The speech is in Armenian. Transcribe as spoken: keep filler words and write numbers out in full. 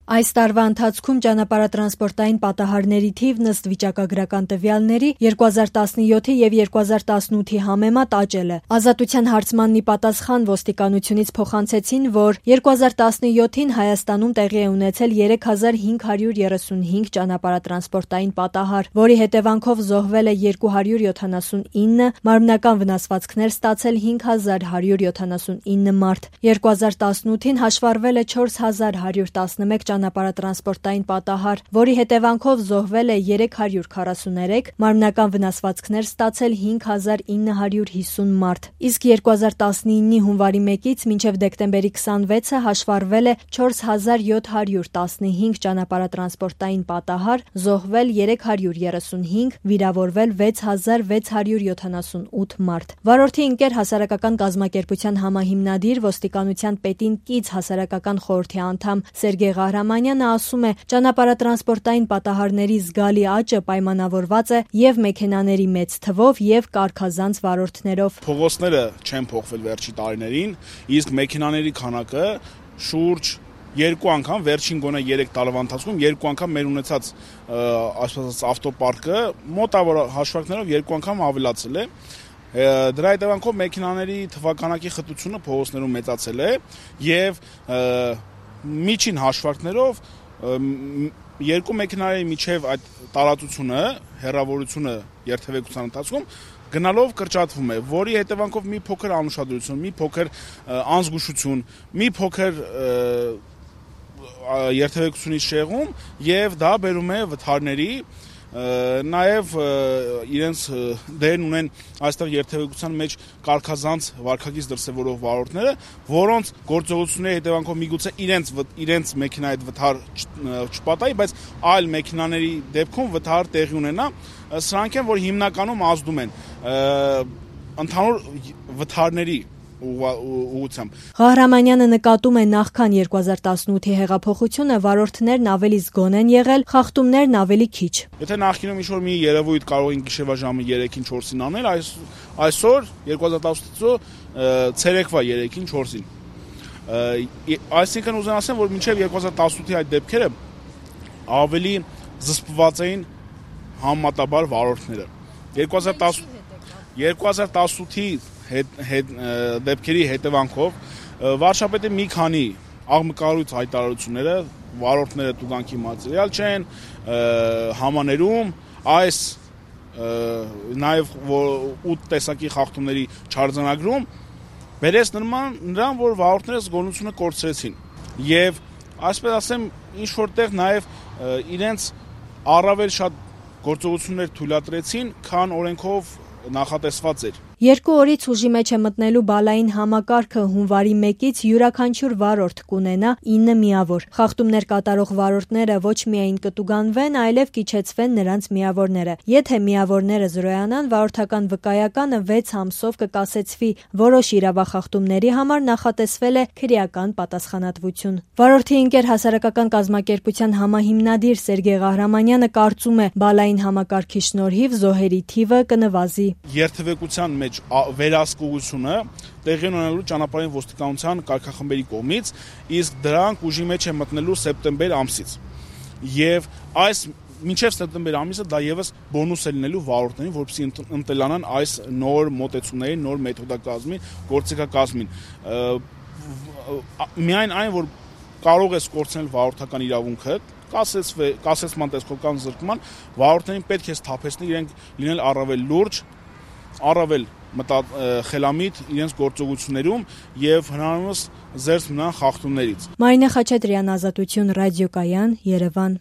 Այս տարվա ընթացքում ճանապարհատրանսպորտային պատահարների թիվն ըստ վիճակագրական տվյալների երկու հազար տասնյոթի և երկու հազար տասնութի համեմատ աճել է։ Ազատության հարցմանն ի պատասխան ոստիկանությունից փոխանցեցին, որ երկու հազար տասնյոթին Հայաստանում տեղի է ունեցել երեք հազար հինգ հարյուր երեսունհինգ ճանապարհատրանսպորտային պատահար, որի հետևանքով զոհվել է երկու հարյուր յոթանասունինը, մարմնական վնասվածքներ ստացել հինգ հազար հարյուր յոթանասունինը մարդ։ երկու հազար տասնութին հաշվառվել է չորս հազար հարյուր տասնմեկ ճանապարհատրանսպորտային պատահար, որի հետևանքով զոհվել է երեք հարյուր քառասուներեք, մարմնական վնասվածքներ ստացել հինգ հազար ինը հարյուր հիսուն մարդ։ Իսկ երկու հազար տասնինի հունվարի մեկից մինչև դեկտեմբերի քսանվեցը հաշվառվել է չորս հազար յոթ հարյուր տասնհինգ ճանապարհատրանսպորտային պատահար, զոհվել երեք հարյուր երեսունհինգ, վիրավորվել վեց հազար վեց հարյուր յոթանասունութ մարդ։ Վարորդի ընկեր հասարակական կազմակերպության համահիմնադիր, ոստիկանության պետին կից հասարակական խորհրդի անդամ Սերգեյ Ղահրամանյանը ասում է, ճանապարհատրանսպորտային պատահարների զգալի աճը պայմանավորված է և մեքենաների մեծ թվով և կարգազանց վարորդներով։ Փողոցները չեն փոխվել վերջի տարիներին, իսկ մեքենաների քանակը շուրջ երկու անգամ, վերջին գոնե երեք տարվա ընթացքում երկու անգամ մեր ունեցած այսպես ավտոպարկը մոտավոր հաշվարկներով երկու անգամ ավելացել է։ Դրա հետևանքով մեքենաների թվականակի խտությունը փողոցներում մեծացել է և միջին հաշվարկներով երկու մեքենաների միջև այդ տարածությունը, հեռավորությունը երթևեկության ընթացքում գնալով կրճատվում է, որի հետևանքով մի փոքր անուշադրություն, մի փոքր անզգուշություն, մի փոքր երթևեկությունից շեղում և դա բերում է վթարների, նաև իրենց դերն ունեն այստեղ երթևեկության մեջ կարգազանց վարքագիծ դրսևորող վարորդները, որոնց գործողությունների հետևանքով միգուցե իրենց իրենց մեքենայի հետ վթար չպատահի, բայց այլ մեքենաների դեպքում վթար տեղի ունենա, սրանք են, որ հիմնականում ազդում են ընդհանուր վթարների ուղղությամբ։ Ղահրամանյանը նկատում է նախքան երկու հազար տասնութի հեղափոխությունը վարորդներն ավելի զգոն են եղել, խախտումներն ավելի քիչ։ Եթե նախկինում ինչ-որ մի երևույթ կարող էին գիշերվա ժամը երեքին չորսին անել, այսօր երկու հազար տասնութը ցերեկվա երեքին չորսին։ Այսինքն ուզեմ ասեմ, որ մինչև երկու հազար տասնութի այդ դեպքերը ավելի զսպված էին համեմատաբար վարորդները։ երկու հազար տասնութի դեպքերի հետևանքով վարչապետի մի քանի աղմկահարույց հայտարարությունները վարորդները տուգանքի մատերիալ չեն, համաներում այս նաև ութ տեսակի խախտումների չարձանագրում բերեց նրան, որ վարորդները զգոնությունը կորցրեցին և այսպես ասեմ ինչ որտեղ նաև իրենց առավել շատ գործողություններ թույլատրեցին, քան օրենքով նախատեսված էր։ Երկու օրից ուժի մեջ է մտնելու բալային համակարգը հունվարի մեկից յուրաքանչյուր վարորդ կունենա ինը միավոր։ Խախտումներ կատարող վարորդները ոչ միայն կտուգանվեն, այլև կիջեցվեն նրանց միավորները։ Եթե միավորները զրոյանան, վարորդական վկայականը վեց ամսով կկասեցվի, որոշ իրավախախտումների համար նախատեսվել է քրեական պատասխանատվություն։ Վարորդի ընկեր հասարակական կազմակերպության համահիմնադիր Սերգեյ Ղահրամանյանը կարծում է, բալային համակարգի շնորհիվ զոհերի թիվը կնվազի։ Երթևեկության մեջ վերահսկողությունը տեղի ունենալու ճանապարհային ոստիկանության կարգախմբերի կողմից, իսկ դրանք ուժի մեջ է մտնելու սեպտեմբեր ամսից։ Եվ այս մինչև սեպտեմբեր ամիսը դա եւս բոնուս է լինելու վարորդներին, որպեսզի ընտելանան այս նոր մոտեցումներին, նոր մեթոդակազմին, գործիքակազմին։ Միայն այն, որ կարող է կորցնել վարորդական իրավունքը, կասեցման տեսքովական զրկման, վարորդներին պետք է սթափեցնել իրենք լինել առավել լուրջ, առավել խելամիտ իրենց գործողություններում և հնարավորինս զերծ մնան խախտումներից։ Մարինե Խաչատրյան, Ազատություն ռադիոկայան, Երևան։